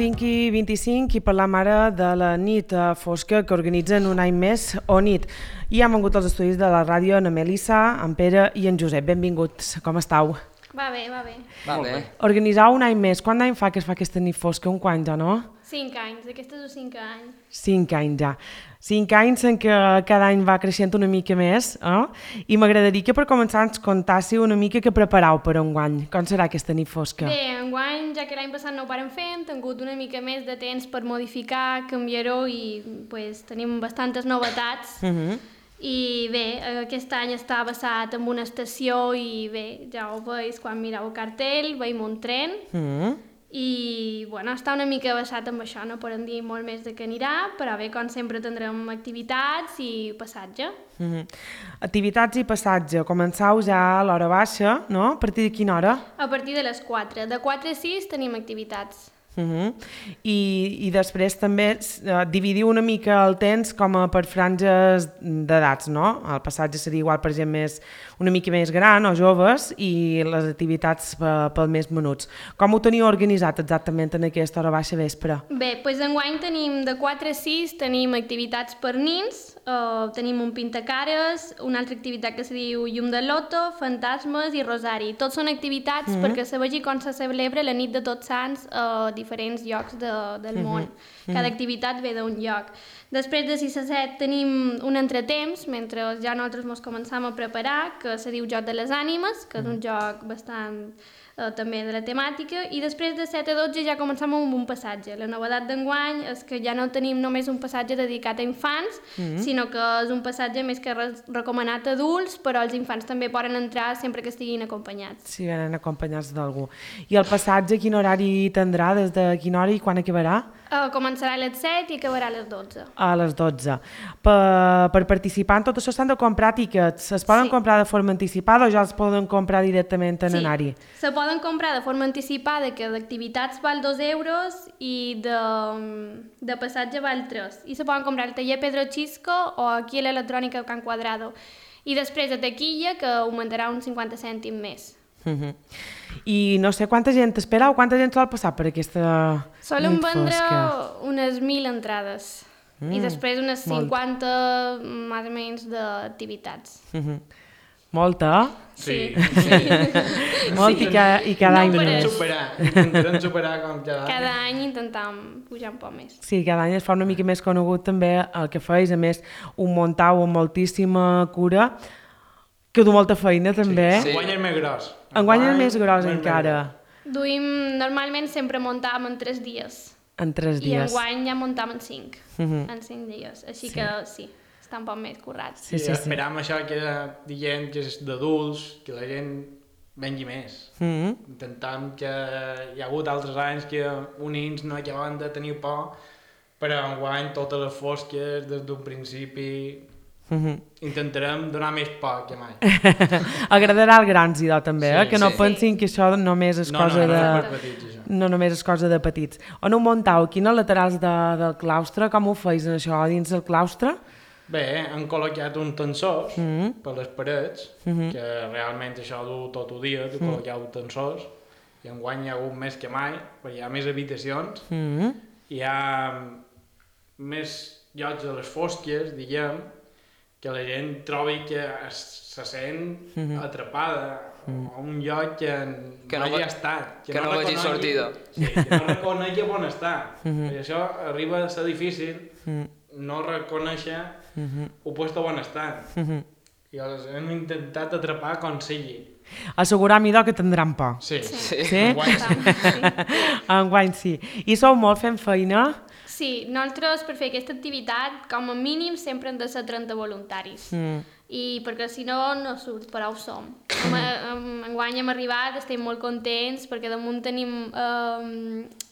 5 i 25 i parlam ara de la nit fosca que organitzen un any més o nit. I hem vengut als estudis de la ràdio en Melissa, en Pere i en Josep. Benvinguts, com estàu? Va bé, va bé. Va bé. Organitzar un any més. Quant d'any fa que es fa aquesta nit fosca? Un quant ja, no? 5 anys, aquestes o 5 anys. 5 anys ja. 5 anys en què cada any va creixent una mica més, I m'agradaria que per començar ens contássiu una mica què preparau per enguany. Com serà aquesta nit fosca? Bé, enguany, ja que l'any passat no ho vàrem fer, hem tingut una mica més de temps per modificar, canviar-ho i pues, tenim bastantes novetats. I bé, aquest any està basat en una estació i bé, ja ho veus quan mireu el cartell, veiem un tren. I bueno, està una mica basat en això, no podem dir molt més de què anirà, però bé, com sempre tindrem activitats i passatge. Activitats i passatge. Començau ja a l'hora baixa, no? A partir de quina hora? A partir de les 4. De 4 a 6 tenim activitats. I després també dividiu una mica el temps com a per franges d'edats, no? El passatge seria igual per gent una mica més gran o joves i les activitats pel més menuts. Com ho teniu organitzat exactament en aquesta hora baixa vespre? Bé, doncs enguany tenim de 4 a 6 tenim activitats per nins, tenim un pintacares, una altra activitat que se diu llum de loto, fantasmes i rosari. Tots són activitats perquè se vegi com se celebra la nit de Tots Sants a diferents llocs del món. Cada activitat ve d'un lloc. Després de 6 a 7 tenim un entretemps, mentre ja nosaltres ens començam a preparar, que se diu Joc de les Ànimes, que és un joc bastant també de la temàtica, i després de 7 a 12 ja començam amb un passatge. La novetat d'enguany és que ja no tenim només un passatge dedicat a infants, sinó que és un passatge més que recomanat a adults, però els infants també poden entrar sempre que estiguin acompanyats. Sí, venen acompanyats d'algú. I el passatge quin horari tindrà, des de quina hora i quan acabarà? Començarà a les 7 i acabarà a les 12. A les 12. Per participar en tot això s'han de comprar tíquets. Es poden comprar de forma anticipada o ja els poden comprar directament en anar-hi? Se poden comprar de forma anticipada, que d'activitats val 2 euros i de passatge val 3. I se poden comprar al taller Pedro Chisco o aquí a l'electrònica Can Quadrado. I després a taquilla, que augmentarà uns 50 cèntims més. I no sé quanta gent espera o quanta gent sol passar per aquesta nit fosca? Solen vendre unes 1.000 entrades i després unes 50 més o menys d'activitats. Molta? Sí. Molt i cada any més. Intentarem superar com cada any. Cada any intentam pujar un poc més. Sí, cada any es fa una mica més conegut també el que feis, a més un muntau amb moltíssima cura, que du molta feina també. Enguany és més gros. Enguany és més gros encara. Normalment sempre muntàvem en 3 dies. En 3 dies. I enguany ja muntàvem en 5. En 5 dies. Així que sí, està un poc més currat. Sí, esperam això que diguem que és d'adults, que la gent vengui més. Intentem que hi ha hagut altres anys que unins no acaben de tenir por, però enguany totes les fosques des d'un principi intentarem donar més por que mai. Agradarà als grans, idò, també, que no pensin que això només és cosa de... No només és cosa de petits. On ho muntau? Quines laterals del claustre? Com ho feis això dins del claustre? Bé, han col·locat uns tensors per les parets, que realment això du tot el dia, de col·locar uns tensors, i enguany hi ha hagut més que mai, perquè hi ha més habitacions, hi ha més llocs a les fosques, diguem, que la gent trobi que se sent atrapada a un lloc que no hagi estat. Que no vegi sortida. Sí, que no reconegui on està. I això arriba a ser difícil no reconèixer el lloc on està. I els hem intentat atrapar com sigui. Assegurar mi que tindran por. Sí. Enguany sí. I sou molt fent feina? Sí, nosaltres per fer aquesta activitat, com a mínim, sempre hem de ser 30 voluntaris. I perquè si no, no surt, però ho som. Enguany hem arribat, estem molt contents, perquè damunt tenim...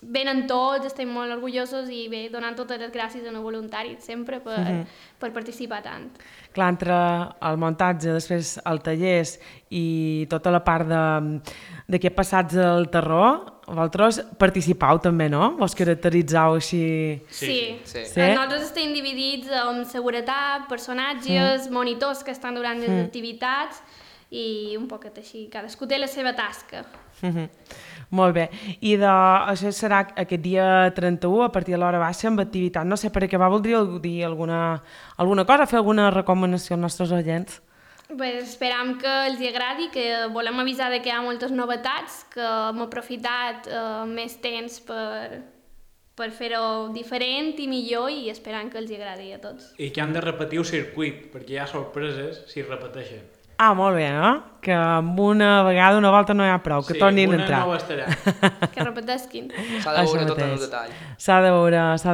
venen tots, estem molt orgullosos i bé, donant totes les gràcies als voluntaris, sempre per participar tant. Clar, entre el muntatge, després el tallers i tota la part d'aquest passatge del terror, vosaltres participau també, no? Vos caracteritzau així... Sí. Nosaltres estem dividits en seguretat, personatges, monitors que estan durant les activitats i un poquet així. Cadascú té la seva tasca. Molt bé. I això serà aquest dia 31 a partir de l'hora baixa amb activitat. No sé, per acabar voldríeu dir alguna cosa, fer alguna recomanació als nostres oients? Pues esperam que els agradi, que volem avisar que hi ha moltes novetats, que hem aprofitat més temps per fer-ho diferent i millor i esperam que els agradi a tots. I que han de repetir el circuit, perquè hi ha sorpreses si repeteixen. Ah, molt bé, no? Que amb una volta no hi ha prou, que tornin a entrar. Sí, una no estarà. Que repetesquin. S'ha de veure tot en el detall. S'ha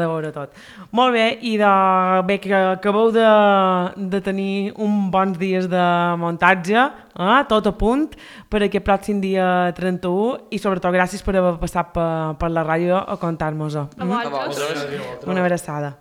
de veure tot. Molt bé, i bé, que acabeu de tenir uns bons dies de muntatge, tot a punt, per aquest pròxim dia 31, i sobretot gràcies per haver passat per la ràdio a contar-nos-ho. A vosaltres. Una abraçada.